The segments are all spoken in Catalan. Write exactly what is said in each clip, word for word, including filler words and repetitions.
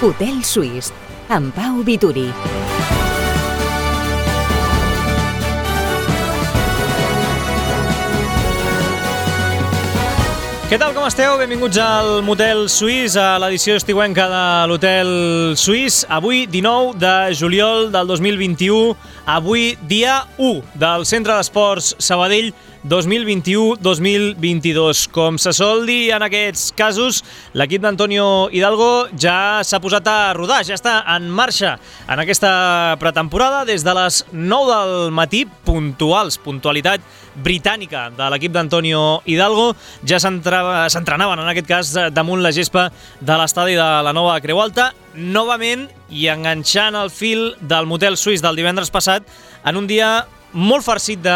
Hotel Suís, amb Pau Vituri. Què tal, com esteu? Benvinguts al Motel Suís, a l'edició estiuenca de l'Hotel Suís. Avui, dinou de juliol del dos mil vint-i-u, avui dia u del Centre d'Esports Sabadell dos mil vint-i-u dos mil vint-i-dos. Com se sol dir en aquests casos, l'equip d'Antonio Hidalgo ja s'ha posat a rodar, ja està en marxa en aquesta pretemporada des de les nou del matí, puntuals, puntualitat britànica de l'equip d'Antonio Hidalgo. Ja s'entrenaven, en aquest cas, damunt la gespa de l'estadi de la Nova Creu Alta, novament, i enganxant el fil del Motel Suís del divendres passat, en un dia molt farcit de,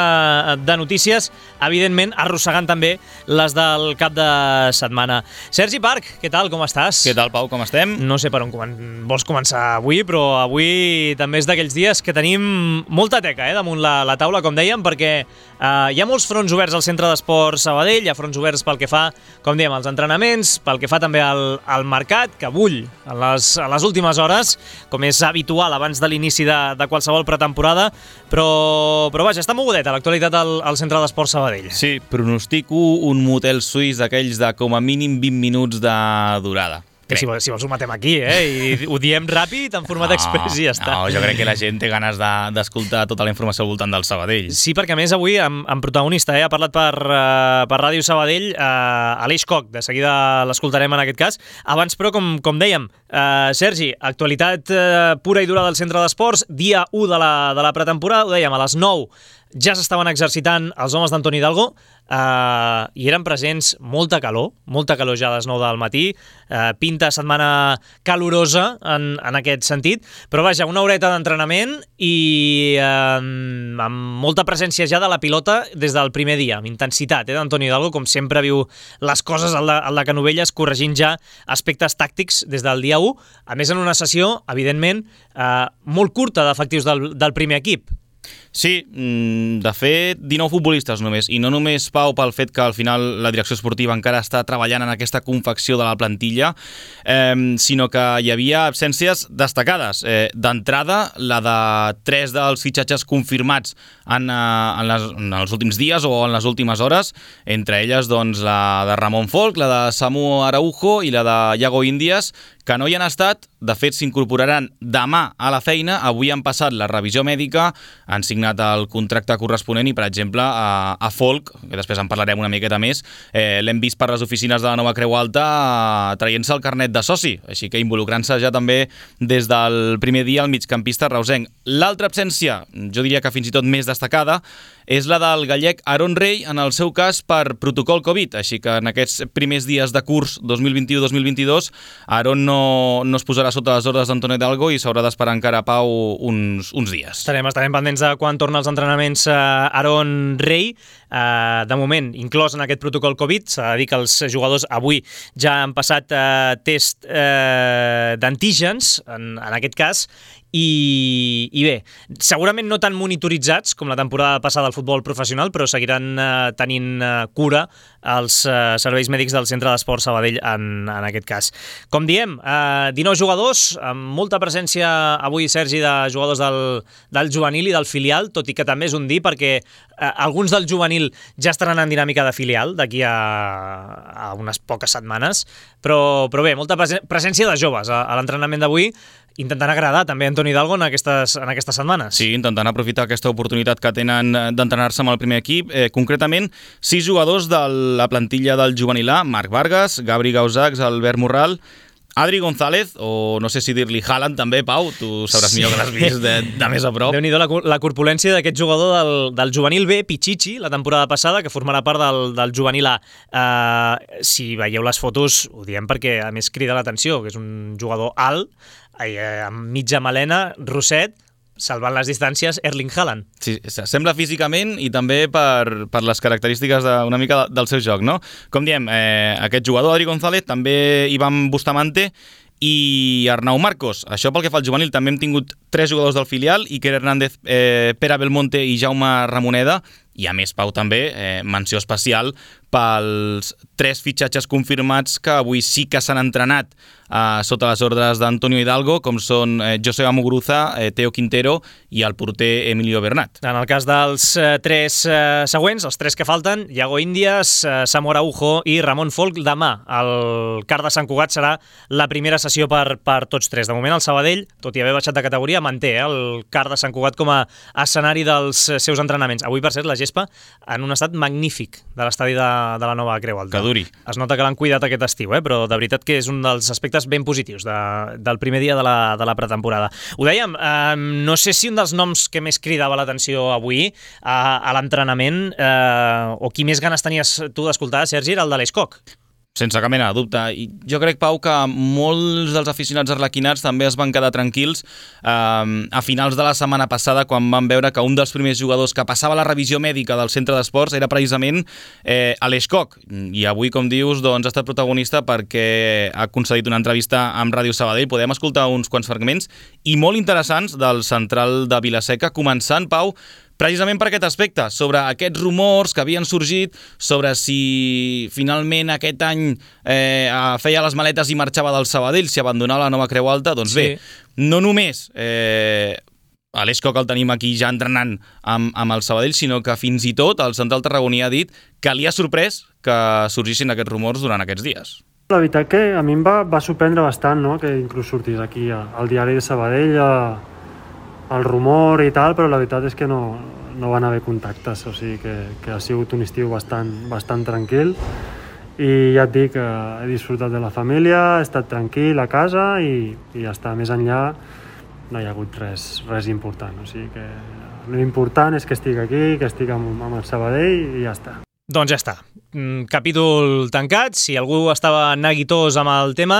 de notícies, evidentment arrossegant també les del cap de setmana. Sergi Parc, què tal, com estàs? Què tal, Pau, com estem? No sé per on comen- vols començar avui, però avui també és d'aquells dies que tenim molta teca eh, damunt la, la taula, com dèiem, perquè eh, hi ha molts fronts oberts al Centre d'Esports Sabadell, hi ha fronts oberts pel que fa, com dèiem, als entrenaments, pel que fa també al, al mercat, que bull en les, en les últimes hores, com és habitual abans de l'inici de, de qualsevol pretemporada, però però vaja, està mogudeta l'actualitat al, al Centre d'Esports Sabadell. Sí, pronostico un motel suís d'aquells de com a mínim vint minuts de durada. Que si, si vols ho matem aquí, eh? I ho diem ràpid, en format no, express i ja està. No, jo crec que la gent té ganes de, d'escoltar tota la informació al voltant del Sabadell. Sí, perquè a més avui, amb, amb protagonista, eh? Ha parlat per, uh, per Ràdio Sabadell, uh, Aleix Koch, de seguida l'escoltarem en aquest cas. Abans, però, com, com dèiem, uh, Sergi, actualitat uh, pura i dura del Centre d'Esports, dia u de la, de la pretemporada, ho dèiem, a les nou ja s'estaven exercitant els homes d'Antoni Hidalgo eh, i eren presents molta calor, molta calor ja a les nou del matí, eh, pinta setmana calorosa en, en aquest sentit, però vaja, una horeta d'entrenament i eh, amb molta presència ja de la pilota des del primer dia, amb intensitat eh, d'Antoni Hidalgo, com sempre viu les coses al de, al de Canovelles, corregint ja aspectes tàctics des del dia u, a més en una sessió, evidentment, eh, molt curta d'efectius del, del primer equip. Sí, de fet, dinou futbolistes només, i no només, Pau, pel fet que al final la direcció esportiva encara està treballant en aquesta confecció de la plantilla, eh, sinó que hi havia absències destacades. Eh, d'entrada, la de tres dels fitxatges confirmats en, en, les, en els últims dies o en les últimes hores, entre elles doncs, la de Ramon Folk, la de Samu Araujo i la de Iago Índies, que no hi han estat. De fet, s'incorporaran demà a la feina. Avui han passat la revisió mèdica, han signat el contracte corresponent i, per exemple, a, a Folk, que després en parlarem una miqueta més, eh, l'hem vist per les oficines de la Nova Creu Alta eh, traient-se el carnet de soci, així que involucrant-se ja també des del primer dia el migcampista reusenc. L'altra absència, jo diria que fins i tot més destacada, és la del gallec Aaron Rey, en el seu cas per protocol Covid, així que en aquests primers dies de curs dos mil vint-i-u dos mil vint-i-dos Aaron no, no es posarà sota les ordres d'Antonio Hidalgo i s'haurà d'esperar encara, Pau, uns, uns dies. Estarem, estarem pendents de quan torna als entrenaments eh, Aaron Rey. Eh, de moment, inclòs en aquest protocol Covid, s'ha de dir que els jugadors avui ja han passat eh, test eh, d'antígens, en, en aquest cas, I, i bé, segurament no tan monitoritzats com la temporada passada al futbol professional, però seguiran eh, tenint eh, cura els eh, serveis mèdics del Centre d'Esports Sabadell en, en aquest cas. Com diem, eh, dinou jugadors, amb molta presència avui, Sergi, de jugadors del, del juvenil i del filial, tot i que també és un dir perquè eh, alguns del juvenil ja estaran en dinàmica de filial d'aquí a, a unes poques setmanes, però, però bé, molta presència de joves a, a l'entrenament d'avui, intentant agradar també a Antoni Hidalgo en aquestes, en aquestes setmanes. Sí, intentant aprofitar aquesta oportunitat que tenen d'entrenar-se amb el primer equip. Eh, concretament, sis jugadors de la plantilla del juvenil A, Marc Vargas, Gabri Gausacs, Albert Morral, Adri González, o no sé si dir-li Haaland també, Pau, tu sabràs millor que l'has vist de, de més a prop. Déu-n'hi-do la, la corpulència d'aquest jugador del, del juvenil B, Pichichi, la temporada passada, que formarà part del, del juvenil A. Uh, si veieu les fotos, ho diem perquè a més crida l'atenció, que és un jugador alt, amb mitja melena, rosset, salvant les distàncies, Erling Haaland. Sí, sembla físicament i també per, per les característiques de, una mica del seu joc, no? Com diem, eh, aquest jugador, Adri González, també Ivan Bustamante i Arnau Marcos. Això pel que fa al juvenil, també hem tingut tres jugadors del filial, Iker Hernández, eh, Pere Belmonte i Jaume Ramoneda, i a més, Pau, també, eh, menció especial pels tres fitxatges confirmats que avui sí que s'han entrenat eh, sota les ordres d'Antonio Hidalgo, com són eh, Joseba Muguruza, eh, Teo Quintero i el porter Emilio Bernat. En el cas dels eh, tres eh, següents, els tres que falten, Iago Índias, eh, Samu Araujo i Ramon Folk, demà el Car de Sant Cugat serà la primera sessió per, per tots tres. De moment el Sabadell, tot i haver baixat de categoria, manté eh, el Car de Sant Cugat com a escenari dels seus entrenaments. Avui, per cert, la gespa en un estat magnífic de l'estadi de, de la nova Creu Alta. Que duri. Es nota que l'han cuidat aquest estiu, eh? Però de veritat que és un dels aspectes ben positius de, del primer dia de la, de la pretemporada. Ho dèiem, eh, no sé si un dels noms que més cridava l'atenció avui eh, a l'entrenament eh, o qui més ganes tenies tu d'escoltar, Sergi, era el de l'Escoc. Sense cap mena de dubte. I jo crec, Pau, que molts dels aficionats arlequinats també es van quedar tranquils eh, a finals de la setmana passada quan van veure que un dels primers jugadors que passava la revisió mèdica del centre d'esports era precisament eh, l'Escoc. I avui, com dius, doncs, ha estat protagonista perquè ha concedit una entrevista amb Ràdio Sabadell. Podem escoltar uns quants fragments i molt interessants del central de Vilaseca, començant, Pau, precisament per aquest aspecte, sobre aquests rumors que havien sorgit, sobre si finalment aquest any eh, feia les maletes i marxava del Sabadell, si abandonava la nova Creu Alta. Doncs sí. Bé, no només eh, l'Escoc el tenim aquí ja entrenant amb, amb el Sabadell, sinó que fins i tot el central tarragoní ha dit que li ha sorprès que sorgissin aquests rumors durant aquests dies. La veritat que a mi em va, va sorprendre bastant, no?, que inclús sortís aquí al diari de Sabadell a el rumor i tal, però la veritat és que no, no van haver contactes, o sigui que, que ha sigut un estiu bastant, bastant tranquil i ja et dic, he disfrutat de la família, he estat tranquil a casa i, i ja està, més enllà no hi ha hagut res, res important, o sigui que l'important és que estic aquí, que estic amb, amb el Sabadell i ja està. Doncs ja està. Capítol tancat. Si algú estava neguitós amb el tema,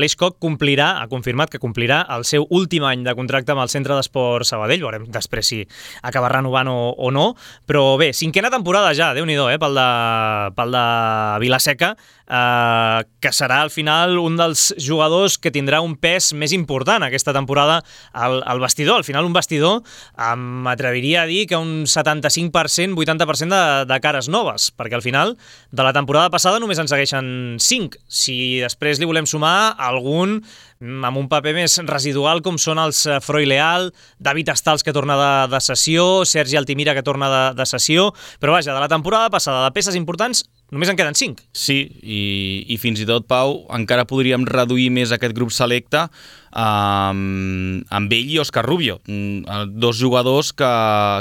l'Escoc complirà, ha confirmat que complirà el seu últim any de contracte amb el Centre d'Esport Sabadell. Veurem després si acaba renovant o, o no. Però bé, cinquena temporada ja, Déu-n'hi-do, eh, pel de, pel de Vilaseca, eh, que serà al final un dels jugadors que tindrà un pes més important aquesta temporada al, al vestidor. Al final un vestidor m'atreviria a dir que un setanta-cinc per cent, vuitanta per cent de, de cares noves, perquè al final de la temporada passada només en segueixen cinc. Si després li volem sumar algun amb un paper més residual com són els Froi Leal, David Estals que torna de, de sessió, Sergi Altimira que torna de, de sessió, però vaja, de la temporada passada de peces importants només en queden cinc. Sí, i, i fins i tot, Pau, encara podríem reduir més aquest grup selecte amb, amb ell i Òscar Rubio, dos jugadors que,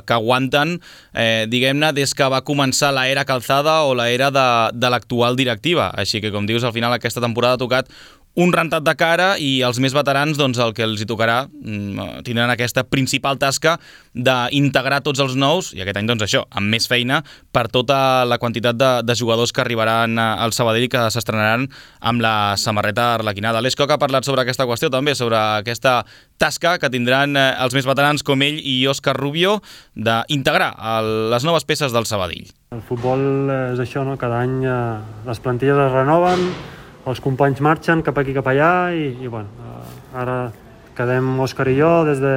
que aguanten, eh, diguem-ne, des que va començar l'era Calzada o l'era de, de l'actual directiva. Així que, com dius, al final aquesta temporada ha tocat un rentat de cara i els més veterans, doncs el que els hi tocarà, tindran aquesta principal tasca d'integrar tots els nous, i aquest any, doncs això, amb més feina per tota la quantitat de, de jugadors que arribaran al Sabadell i que s'estrenaran amb la samarreta arlequinada. L'Escoc ha parlat sobre aquesta qüestió també, sobre aquesta tasca que tindran els més veterans com ell i Òscar Rubio d'integrar les noves peces del Sabadell. El futbol és això, no? Cada any les plantilles es renoven, els companys marxen cap aquí cap allà i, i bueno, ara quedem Òscar i jo des de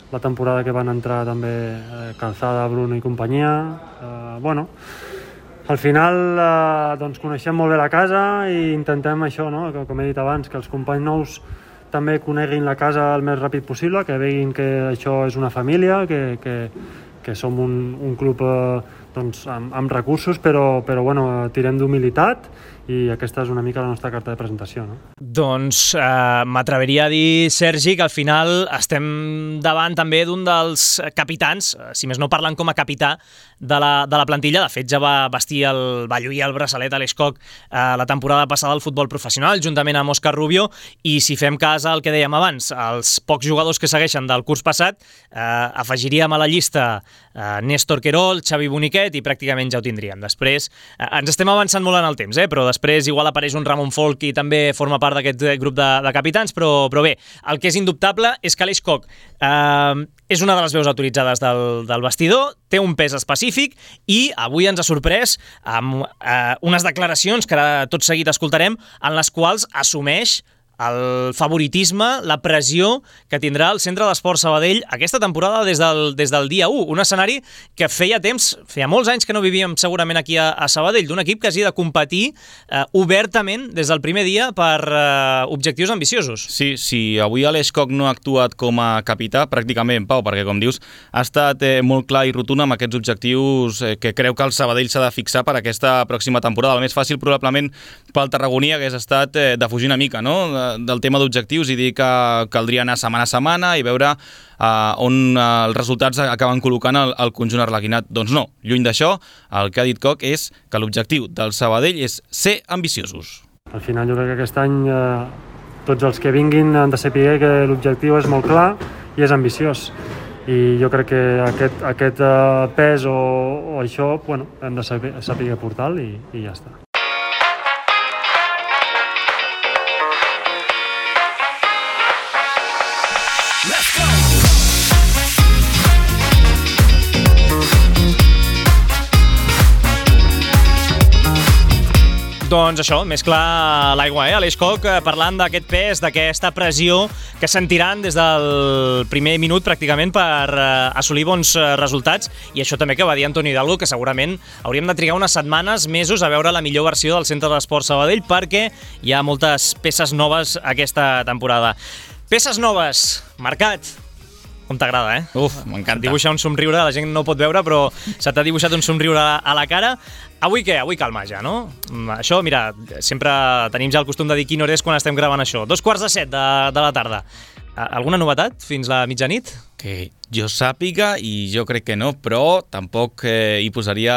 la temporada que van entrar també eh, Calzada, Bruno i companyia. Eh, bueno, al final eh, doncs coneixem molt bé la casa i intentem això, no? Com he dit abans, que els companys nous també coneguin la casa el més ràpid possible, que veguin que això és una família, que, que, que som un, un club eh, doncs, amb, amb recursos, però, però bueno, tirem d'humilitat i aquesta és una mica la nostra carta de presentació, no? Doncs eh, m'atreviria a dir, Sergi, que al final estem davant també d'un dels capitans, si més no parlen com a capità de la, de la plantilla. De fet, ja va vestir el, va lluir el braçalet a l'Escoc eh, la temporada passada al futbol professional, juntament amb Òscar Rubio, i si fem cas al que dèiem abans, els pocs jugadors que segueixen del curs passat, eh, afegiríem a la llista eh, Néstor Querol, Xavi Boniquet, i pràcticament ja ho tindríem. Després, eh, ens estem avançant molt en el temps, eh, però després igual apareix un Ramon Folk i també forma part d'aquest grup de, de capitans, però, però bé, el que és indubtable és que l'Escoc eh, és una de les veus autoritzades del, del vestidor, té un pes específic i avui ens ha sorprès amb eh, unes declaracions que ara tot seguit escoltarem en les quals assumeix el favoritisme, la pressió que tindrà el Centre d'Esports Sabadell aquesta temporada des del, des del dia u. Un escenari que feia temps, feia molts anys que no vivíem segurament aquí a, a Sabadell, d'un equip que hagi de competir eh, obertament des del primer dia per eh, objectius ambiciosos. Sí, si avui Aleix Koch no ha actuat com a capità, pràcticament, Pau, perquè com dius, ha estat eh, molt clar i rotund amb aquests objectius eh, que creu que el Sabadell s'ha de fixar per aquesta pròxima temporada. El més fàcil probablement pel tarragoní hagués estat eh, de fugir una mica, no?, de, del tema d'objectius i dir que caldria anar setmana a setmana i veure uh, on uh, els resultats acaben col·locant el, el conjunt arlequinat. Doncs no, lluny d'això, el que ha dit Koch és que l'objectiu del Sabadell és ser ambiciosos. Al final jo crec que aquest any eh, tots els que vinguin han de saber que l'objectiu és molt clar i és ambiciós. I jo crec que aquest, aquest eh, pes o, o això, bueno, hem de saber, saber portar-lo i, i ja està. Doncs això, més clar l'aigua, eh? Aleix Koch parlant d'aquest pes, d'aquesta pressió que sentiran des del primer minut pràcticament per assolir bons resultats, i això també que va dir Antoni Hidalgo, que segurament hauríem de trigar unes setmanes, mesos a veure la millor versió del Centre d'Esports Sabadell, perquè hi ha moltes peces noves aquesta temporada. Peces noves, Mercat. Com t'agrada, eh? Uf, m'encanta. Dibuixar un somriure, la gent no pot veure, però se t'ha dibuixat un somriure a la cara. Avui què? Avui calma ja, no? Això, mira, sempre tenim ja el costum de dir quina hora és quan estem gravant això. Dos quarts de set de, de la tarda. Alguna novetat fins la mitjanit? Que jo sàpiga, i jo crec que no, però tampoc eh, hi posaria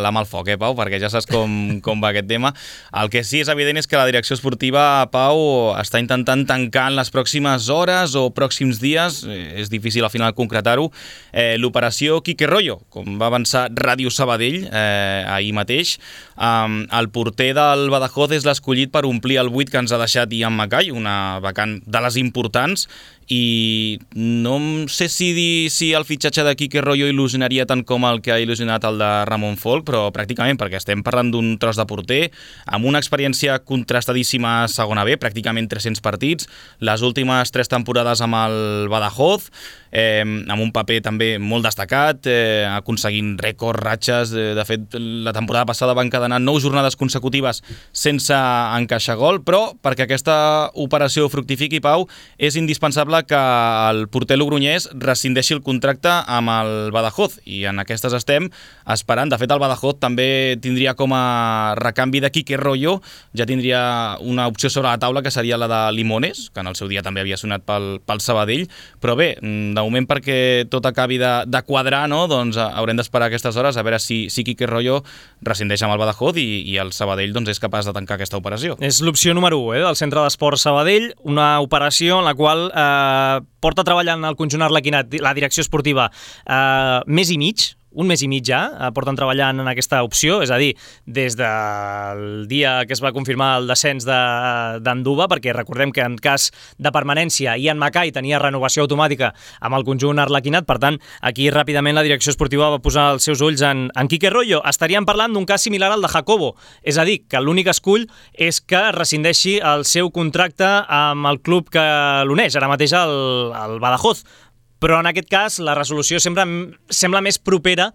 la mà al foc, eh, Pau, perquè ja saps com, com va aquest tema. El que sí és evident és que la direcció esportiva, Pau, està intentant tancar en les pròximes hores o pròxims dies, eh, és difícil al final concretar-ho, eh, l'operació Quique Royo, com va avançar Ràdio Sabadell eh, ahir mateix. Um, el porter del Badajoz és l'escollit per omplir el buit que ens ha deixat Ian Mackay, una vacant de les importants, i no sé si dir si el fitxatge de Quique Royo il·lusionaria tant com el que ha il·lusionat el de Ramon Folk, però pràcticament, perquè estem parlant d'un tros de porter amb una experiència contrastadíssima a segona B, pràcticament tres-cents partits, les últimes tres temporades amb el Badajoz, eh, amb un paper també molt destacat, eh, aconseguint rècords, ratxes, eh, de fet la temporada passada van encadenar nou jornades consecutives sense encaixar gol, però perquè aquesta operació fructifiqui, Pau, és indispensable que el porter logroñès rescindeixi el contracte amb el Badajoz, i en aquestes estem esperant. De fet, el Badajoz també tindria com a recanvi de Quique Royo, ja tindria una opció sobre la taula que seria la de Limones, que en el seu dia també havia sonat pel, pel Sabadell, però bé, de moment perquè tot acabi de, de quadrar, no? Doncs haurem d'esperar aquestes hores a veure si, si Quique Royo rescindeix amb el Badajoz i, i el Sabadell doncs, és capaç de tancar aquesta operació. És l'opció número u eh, del Centre d'Esports Sabadell, una operació en la qual eh, porta treballant el conjunt arlequinat, la direcció esportiva, eh, mes i mig, un mes i mig ja, eh, porten treballant en aquesta opció, és a dir, des del dia que es va confirmar el descens d'Anduba, perquè recordem que en cas de permanència Ian Mackay tenia renovació automàtica amb el conjunt arlequinat, per tant, aquí ràpidament la direcció esportiva va posar els seus ulls en, en Quique Royo. Estaríem parlant d'un cas similar al de Jacobo, és a dir, que l'únic escull és que rescindeixi el seu contracte amb el club que l'uneix, ara mateix el, el Badajoz. Però en aquest cas la resolució sembla, sembla més propera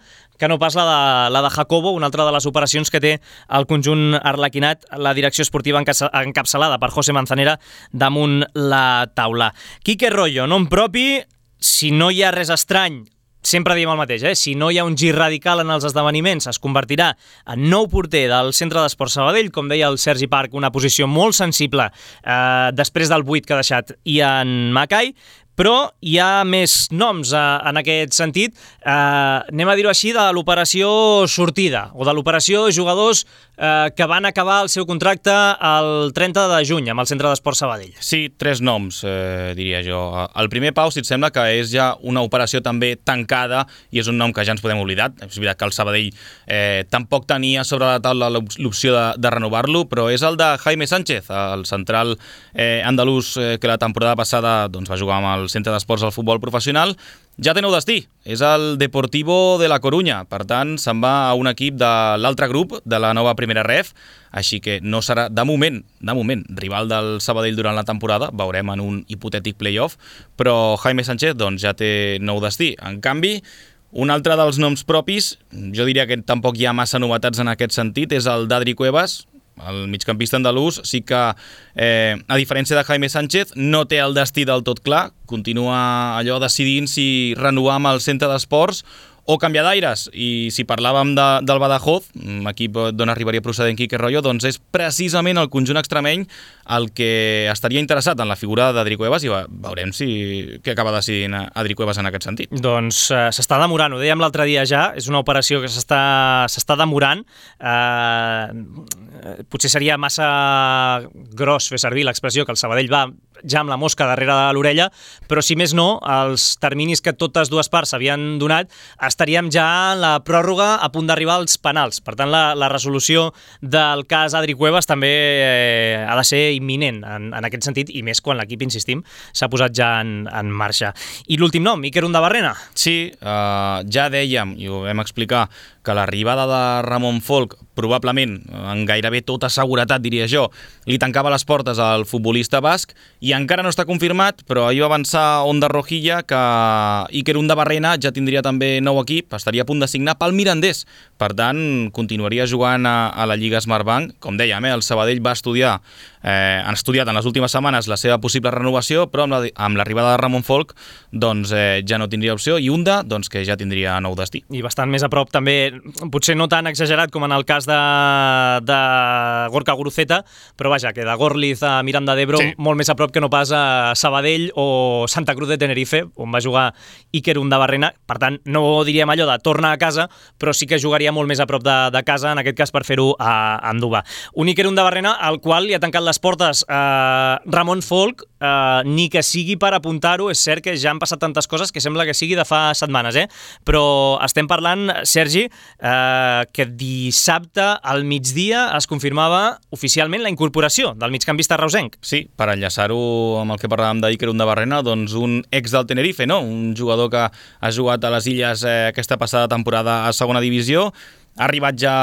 que no pas la de, la de Jacobo, una altra de les operacions que té el conjunt arlequinat, la direcció esportiva encapçalada per José Manzanera damunt la taula. Quique Royo, nom propi, si no hi ha res estrany, sempre diem el mateix, eh? Si no hi ha un gir radical en els esdeveniments, es convertirà en nou porter del Centre d'Esports Sabadell, com deia el Sergi Parc, una posició molt sensible eh, després del buit que ha deixat Ian Mackay, però hi ha més noms eh, en aquest sentit, eh, anem a dir-ho així, de l'operació sortida, o de l'operació jugadors eh, que van acabar el seu contracte el trenta de juny amb el Centre d'Esports Sabadell. Sí, tres noms, eh, diria jo. El primer, Pau, si et sembla, que és ja una operació també tancada, i és un nom que ja ens podem oblidar. És veritat que el Sabadell eh, tampoc tenia sobre la taula l'opció de, de renovar-lo, però és el de Jaime Sánchez, el central eh, andalús eh, que la temporada passada doncs, va jugar amb el el centre d'esports del futbol professional, ja té nou destí. És el Deportivo de la Corunya. Per tant, se'n va a un equip de l'altre grup de la nova primera ref, així que no serà, de moment, de moment, rival del Sabadell durant la temporada, veurem en un hipotètic play-off, però Jaime Sánchez doncs, ja té nou destí. En canvi, un altre dels noms propis, jo diria que tampoc hi ha massa novetats en aquest sentit, és el d'Adri Cuevas, el migcampista andalús. Sí que, eh, a diferència de Jaime Sánchez, no té el destí del tot clar, continua allò decidint si renovar amb el centre d'esports o canviar d'aires. I si parlàvem de, del Badajoz, equip d'on arribaria procedent Quique Royo, doncs és precisament el conjunt extremeny el que estaria interessat en la figura d'Adri Cuevas i veurem si què acaba decidint Adri Cuevas en aquest sentit. Doncs uh, s'està demorant, ho dèiem l'altre dia ja, és una operació que s'està demorant. Uh, potser seria massa gros fer servir l'expressió que el Sabadell va ja amb la mosca darrere de l'orella, però si més no, els terminis que totes dues parts s'havien donat, estaríem ja en la pròrroga a punt d'arribar als penals. Per tant, la, la resolució del cas Adri Cuevas també eh, ha de ser imminent en, en aquest sentit, i més quan l'equip, insistim, s'ha posat ja en, en marxa. I l'últim nom, Iker Undabarrena. Sí, uh, ja dèiem, i ho vam explicar, que l'arribada de Ramon Folk, probablement, en gairebé tota seguretat, diria jo, li tancava les portes al futbolista basc, i encara no està confirmat, però ahir va avançar Onda Rojilla que Iker Undabarrena ja tindria també nou equip, estaria a punt de signar pel Mirandés. Per tant, continuaria jugant a, a la Lliga Smartbank. Com dèiem, eh, el Sabadell va estudiar, eh, han estudiat en les últimes setmanes la seva possible renovació, però amb, la, amb l'arribada de Ramon Folk doncs, eh, ja no tindria opció, i Unda doncs, que ja tindria nou destí. I bastant més a prop també, potser no tan exagerat com en el cas de, de Gorka Guruceta, però vaja, que de Gorliz a Miranda d'Ebro, sí, molt més a prop que no pas a Sabadell o Santa Cruz de Tenerife, on va jugar Iker Undabarrena. Per tant, no diríem allò de tornar a casa, però sí que jugaria molt més a prop de, de casa, en aquest cas per fer-ho a, a Andúba. Un Iker Undabarrena al qual li ha tancat les portes eh, Ramon Folk, eh, ni que sigui per apuntar-ho. És cert que ja han passat tantes coses que sembla que sigui de fa setmanes, eh? Però estem parlant, Sergi, eh, que dissabte al migdia es confirmava oficialment la incorporació del migcampista reusenc. Sí, per enllaçar-ho amb el que parlàvem d'Iker Undabarrena, doncs un ex del Tenerife, no? Un jugador que ha jugat a les Illes eh, aquesta passada temporada a segona divisió, ha arribat ja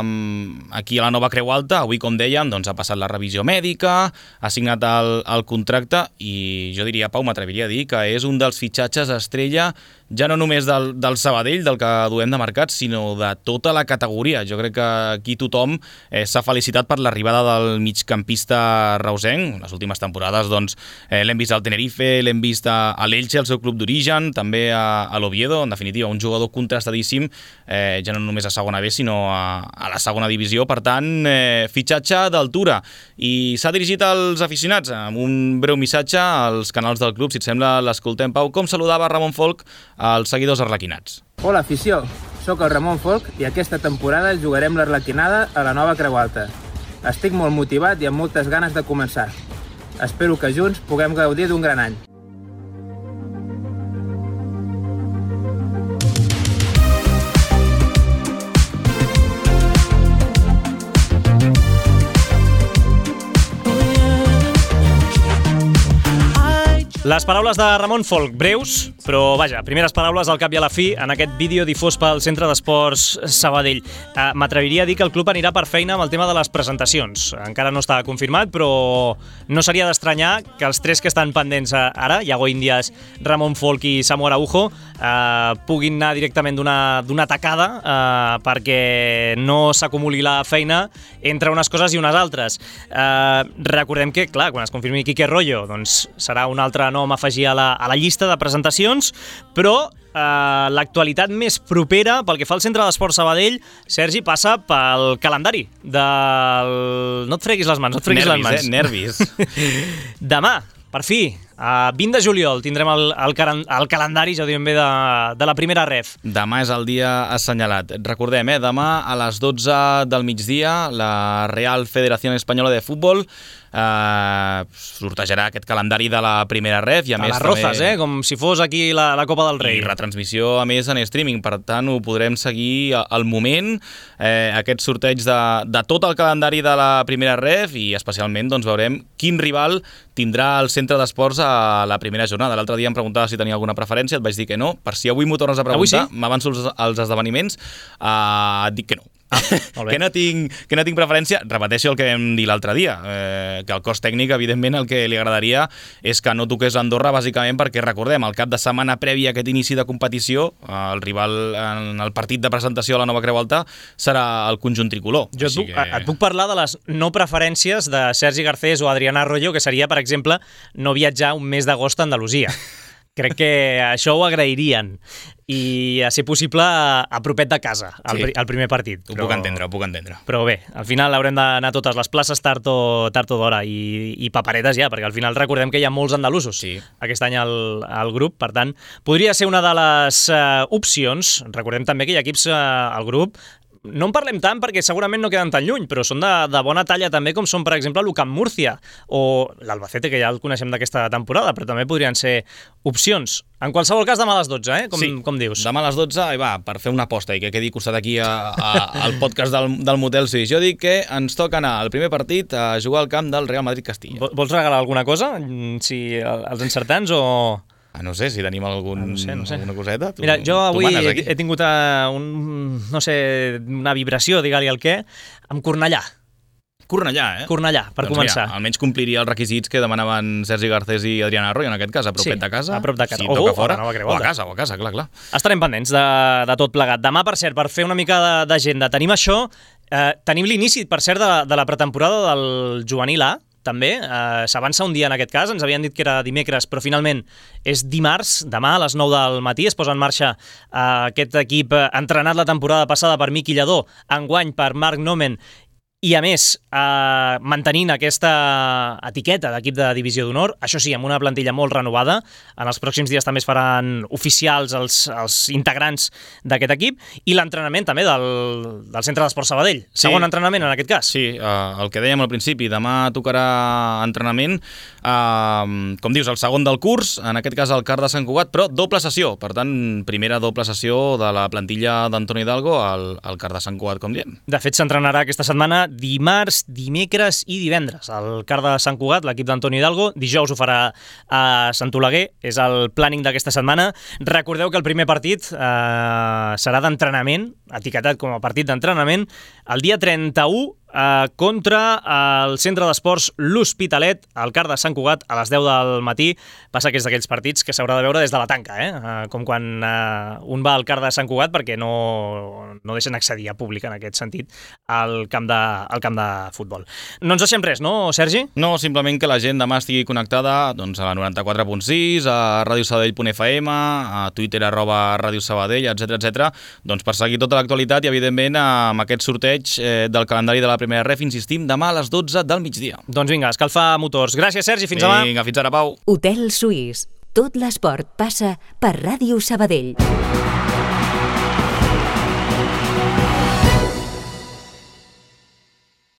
um, aquí a la nova Creu Alta. Avui, com dèiem, doncs, ha passat la revisió mèdica, ha signat el, el contracte, i jo diria, Pau, m'atreviria a dir que és un dels fitxatges estrella, ja no només del, del Sabadell, del que duem de mercat, sinó de tota la categoria. Jo crec que aquí tothom eh, s'ha felicitat per l'arribada del migcampista reusenc. Les últimes temporades doncs, eh, l'hem vist al Tenerife, l'hem vist a, a l'Elche, el seu club d'origen, també a, a l'Oviedo. En definitiva, un jugador contrastadíssim, eh, ja no només a segona B, sinó a, a la segona divisió. Per tant, eh, fitxatge d'altura. I s'ha dirigit als aficionats amb un breu missatge als canals del club. Si et sembla, l'escoltem. Pau, com saludava Ramon Folk als seguidors arlequinats? Hola, afició. Soc el Ramon Folk i aquesta temporada jugarem l'Arlequinada a la nova Creu Alta. Estic molt motivat i amb moltes ganes de començar. Espero que junts puguem gaudir d'un gran any. Les paraules de Ramon Folk, breus, però vaja, primeres paraules al cap i a la fi en aquest vídeo difós pel Centre d'Esports Sabadell. Eh, M'atreviria a dir que el club anirà per feina amb el tema de les presentacions. Encara no està confirmat, però no seria d'estranyar que els tres que estan pendents ara, Iago Índias, Ramon Folk i Samu Araujo, eh, puguin anar directament d'una tacada eh, perquè no s'acumuli la feina entre unes coses i unes altres. Eh, recordem que, clar, quan es confirmi Quique Royo, doncs serà un altre nom a afegir a la, a la llista de presentacions, però eh, l'actualitat més propera pel que fa al Centre d'Esports Sabadell, Sergi, passa pel calendari del... No et freguis les mans, no et freguis nervis, les mans. Eh? Nervis. Demà, per fi, a vint de juliol tindrem el, el, el calendari, ja ho diem bé, de, de la primera ref. Demà és el dia assenyalat. Recordem, eh, demà a les dotze del migdia, la Real Federación Española de Fútbol eh, sortejarà aquest calendari de la primera ref i a, a més les rozes, també... eh? Com si fos aquí la, la Copa del Rei. I retransmissió a més en streaming, per tant ho podrem seguir al moment, eh, aquest sorteig de, de tot el calendari de la primera ref i especialment doncs, veurem quin rival tindrà el centre d'esports a la primera jornada. L'altre dia em preguntava si tenia alguna preferència, et vaig dir que no. Per si avui m'ho tornes a preguntar, sí? M'avanço als, als esdeveniments, eh, et dic que no. Ah, que, no tinc, que no tinc preferència. Repeteixo el que vam dir l'altre dia, eh, que el cos tècnic, evidentment, el que li agradaria és que no toqués Andorra, bàsicament perquè, recordem, el cap de setmana previ a aquest inici de competició, el rival en el partit de presentació a la nova Creu Alta serà el conjunt tricolor. Jo et puc, que... et puc parlar de les no preferències de Sergi Garcés o Adrián Arroyo, que seria, per exemple, no viatjar un mes d'agost a Andalusia. Crec que això ho agrairien i, a ser possible, a propet de casa, al, sí. al primer partit. Ho però, puc entendre, ho puc entendre. Però bé, al final haurem d'anar a totes les places tard o, tard o d'hora i, i paperetes ja, perquè al final recordem que hi ha molts andalusos sí. aquest any al, al grup, per tant, podria ser una de les uh, opcions. Recordem també que hi ha equips uh, al grup. No en parlem tant perquè segurament no queden tan lluny, però són de, de bona talla també, com són, per exemple, l'U Camp Múrcia o l'Albacete, que ja el coneixem d'aquesta temporada, però també podrien ser opcions. En qualsevol cas, demà a les dotze, eh? com, sí, com dius. Demà a les dotze, i va, per fer una aposta i que quedi costat aquí a, a, al podcast del, del Motel Suís. Jo dic que ens toca anar al primer partit a jugar al camp del Real Madrid-Castilla. Vols regalar alguna cosa? Si els encertants o... Ah, no sé, si tenim algun, ah, no sé, no sé. alguna coseta. Tu, Mira, jo avui he, he tingut uh, un, no sé, una vibració, digue-li el què, amb Cornellà. Cornellà, eh? Cornellà, per doncs començar. Mira, almenys compliria els requisits que demanaven Sergi Garcés i Adrián Arroyo, en aquest cas, a propet sí, de casa. a prop de casa. Si toca o, fora, o, o a casa, o a casa, clar, clar. Estarem pendents de, de tot plegat. Demà, per cert, per fer una mica d'agenda, tenim això, eh, tenim l'inici, per cert, de, de la pretemporada del Juvenil A, també, eh, s'avança un dia en aquest cas, ens havien dit que era dimecres, però finalment és dimarts, demà a les nou del matí, es posa en marxa eh, aquest equip eh, entrenat la temporada passada per Miqui Lladó, enguany per Marc Nomen, i a més, eh, mantenint aquesta etiqueta d'equip de divisió d'honor, això sí, amb una plantilla molt renovada. En els pròxims dies també es faran oficials els, els integrants d'aquest equip i l'entrenament també del, del Centre d'Esports Sabadell. Sí. Segon entrenament en aquest cas. Sí, eh, el que dèiem al principi, demà tocarà entrenament, eh, com dius, el segon del curs, en aquest cas el Car de Sant Cugat, però doble sessió, per tant, primera doble sessió de la plantilla d'Antoni Hidalgo al, al Car de Sant Cugat, com diem. De fet, s'entrenarà aquesta setmana dimarts, dimecres i divendres. El Car de Sant Cugat, l'equip d'Antoni Hidalgo, dijous ho farà a Sant Oleguer, és el planning d'aquesta setmana. Recordeu que el primer partit eh, serà d'entrenament, etiquetat com a partit d'entrenament, el dia trenta-u Uh, contra el Centre d'Esports L'Hospitalet, al Car de Sant Cugat, a les deu del matí. Passa que és d'aquells partits que s'haurà de veure des de la tanca, eh? Uh, com quan uh, un va al Car de Sant Cugat perquè no, no deixen accedir a públic en aquest sentit al camp de, al camp de futbol. No ens deixem res, no, Sergi? No, simplement que la gent demà estigui connectada doncs, a la noranta-quatre punt sis, a ràdio sabadell punt f m, a Twitter arroba ràdio sabadell, etcètera, etcètera, doncs per seguir tota l'actualitat i, evidentment, amb aquest sorteig eh, del calendari de la primera ref, insistim, demà a les dotze del migdia. Doncs vinga, escalfar motors. Gràcies, Sergi, fins demà. Vinga, fins ara, Pau. Hotel Suís. Tot l'esport passa per Ràdio Sabadell.